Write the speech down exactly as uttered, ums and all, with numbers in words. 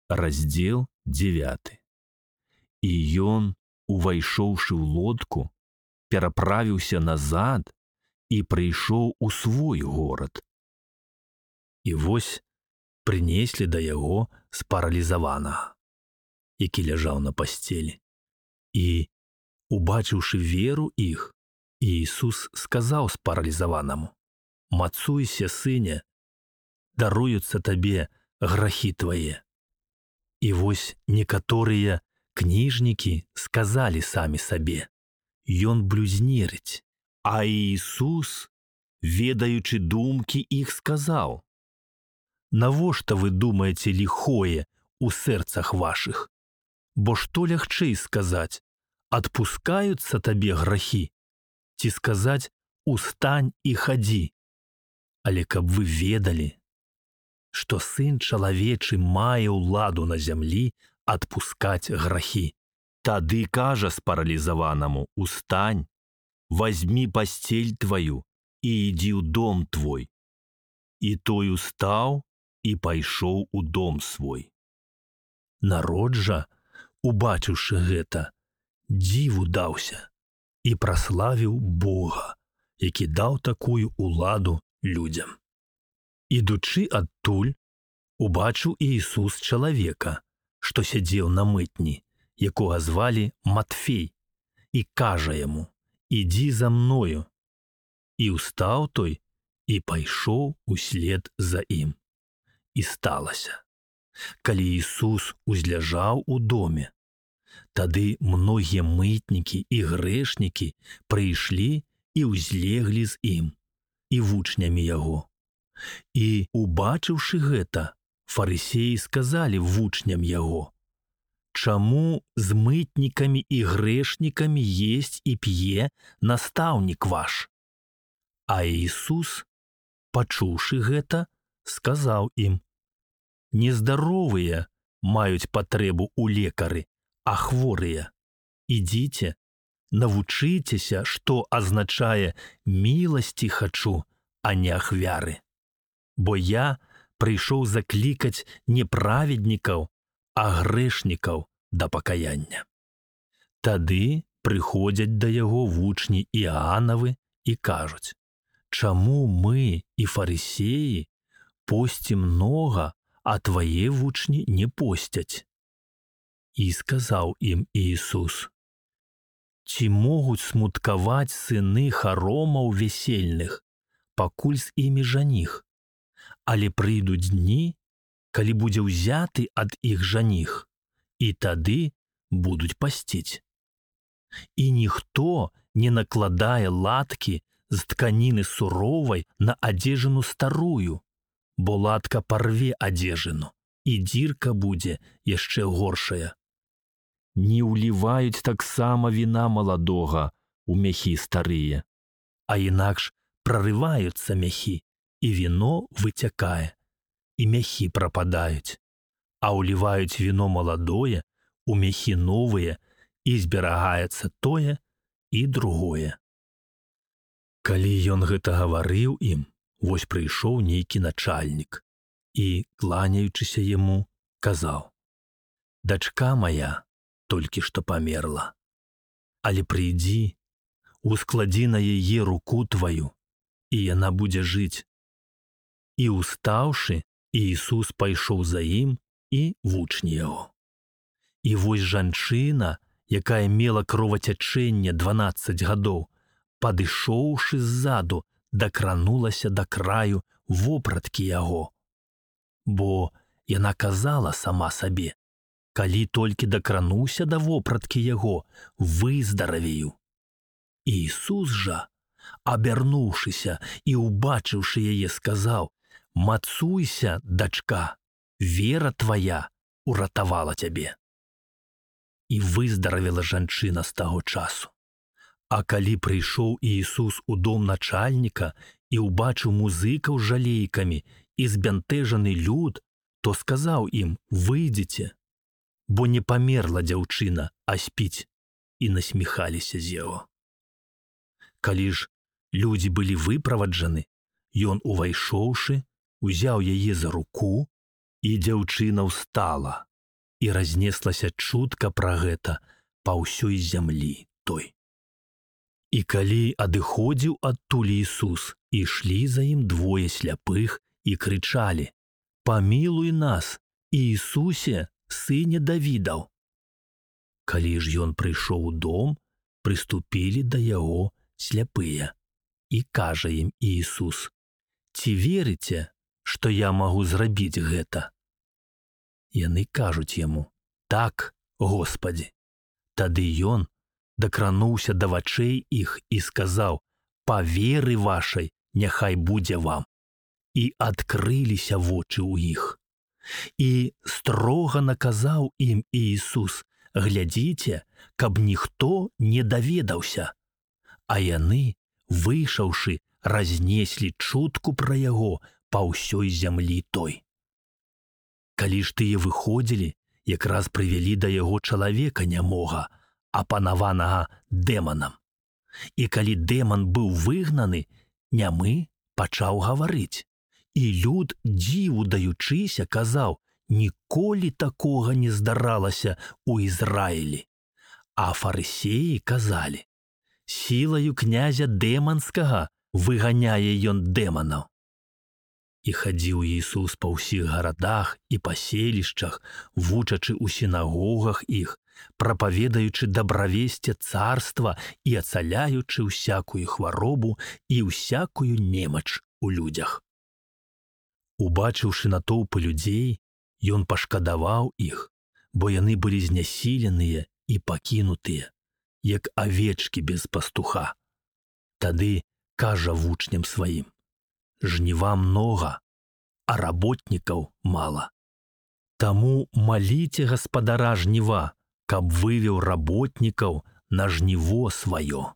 Раздзел дзевяты. І ён, увайшоўшы ў лодку, пераправіўся назад і прыйшоў у свой горад. І вось прынеслі да яго спаралізаванага, які ляжаў на пасцелі. І, убачыўшы веру іх, Іісус сказаў спаралізаванаму: «Мацуйся, сыне, даруюцца табе грахі твае». І вось некаторыя кніжнікі сказалі самі сабе: «Ён блюзнерыць». А Іісус, ведаючы думкі іх, сказаў: «Навошта вы думаеце ліхое ў сэрцах вашых? Бо што лягчэй сказаць: адпускаюцца табе грахі, ці сказаць: устань і хадзі? Але каб вы ведалі, што Сын чалавечы мае ўладу на зямлі адпускаць грахі». Тады кажа спаралізаванаму: «Устань, вазьмі пасцель тваю і ідзі ў дом твой». І той устаў і пайшоў у дом свой. Народ жа, убачыўшы гэта, дзіву даўся і праславіў Бога, які даў такую ўладу людзям. Ідучы адтуль, убачыў Іісус чалавека, што сядзеў на мытні, якога звалі Матфей, і кажа яму: «Ідзі за мною». І устаў той і пайшоў услед за ім. І сталася, калі Іісус узляжаў у доме, тады многія мытнікі і грэшнікі прыйшлі і ўзлеглі з ім і вучнямі яго. І, убачыўшы гэта, фарысеі сказалі вучням яго: «Чаму з мытнікамі і грэшнікамі есць і п'е настаўнік ваш?» А Іісус, пачуўшы гэта, сказаў ім: «Нездаровыя маюць патрэбу ў лекары, а хворыя. Ідзіце, навучыцеся, што азначае «міласці хачу, а не ахвяры». Бо я прыйшоў заклікаць не праведнікаў, а грэшнікаў да пакаяння». Тады прыходзяць да яго вучні Іанавы і кажуць: «Чаму мы і фарысеі посцім многа, а твае вучні не посцяць?» І сказаў ім Іісус: «Ці могуць смуткаваць сыны харомаў весельных, пакуль з імі жаніх? Але прыйдуць дні, калі будзе ўзяты ад іх жаніх, і тады будуць пасціць. І ніхто не накладае латкі з тканіны суровай на адзежыну старую, бо латка парве адзежыну, і дзірка будзе яшчэ горшая. Не ўліваюць таксама віна маладога ў мяхі старыя, а інакш прарываюцца мяхі, і віно выцякае, і мяхі прападаюць, а ўліваюць віно маладое у мяхі новыя, і зберагаецца тое і другое». Калі ён гэта гаварыў ім, вось прыйшоў нейкі начальнік і, кланяючыся яму, казаў: «Дачка моя толькі што памерла, але прыйдзі, ускладзі на яе руку тваю, і яна будзе жыць». І, устаўшы, Іісус пайшоў за ім і вучні яго. І вось жанчына, якая мела кровацячэнне дванаццаць гадоў, падышоўшы ззаду, дакранулася да краю вопраткі яго. Бо яна казала сама сабе: «Калі толькі дакрануся да вопраткі яго, выздаравею». Іісус жа, абярнуўшыся і убачыўшы яе, сказаў: «Мацуйся, дачка, вера твая уратавала цябе». І выздаравела жанчына з таго часу. А калі прыйшоў Іісус у дом начальніка і ўбачыў музыкаў з жалейкамі і збянтэжаны люд, то сказаў ім: «Выйдзіце, бо не памерла дзяўчына, а спіць», і насміхаліся з яго. Калі ж людзі былі выправаджаны, ён, увайшоўшы, узяў яе за руку, і дзяўчына ўстала і разнеслася чутка пра гэта па ўсёй зямлі той. І калі адыходзіў адтуль Ісус, ішлі за ім двое сляпых і крычалі: «Памілуй нас, Іісусе, сыне Давідаў!» Калі ж ён прыйшоў у дом, прыступілі да яго сляпыя. І кажа ім Іісус: «Ці верыце, што я магу зрабіць гэта?» Яны кажуць яму: «Так, Господі!» Тады ён дакрануўся да вачэй іх і сказаў: «Па веры вашай няхай будзе вам». І адкрыліся вочы ў іх. І строга наказаў ім Іісус: «Глядзіце, каб ніхто не даведаўся». А яны, выйшаўшы, разнеслі чутку пра яго па ўсёй зямлі той. Калі ж тыя выходзілі, якраз прывялі да яго чалавека нямога, апанаванага дэманам. І калі дэман быў выгнаны, нямы пачаў гаварыць. І люд, дзіву даючыся, казаў: «Ніколі такога не здаралася ў Ізраілі». А фарысеі казалі: «Сілаю князя дэманскага выганяе ён дэманаў». І хадзіў Ісус па ўсіх гарадах і паселішчах, вучачы ў сінагогах іх, прапаведаючы дабравесце царства і ацаляючы ўсякую хваробу і ўсякую немач у людзях. Убачыўшы натоўпы людзей, ён пашкадаваў іх, бо яны былі знясіленыя і пакінутыя, як авечкі без пастуха. Тады кажа вучням сваім: «Жніва многа, а работнікаў мала. Таму маліце гаспадара жніва, каб вывеў работнікаў на жніво сваё».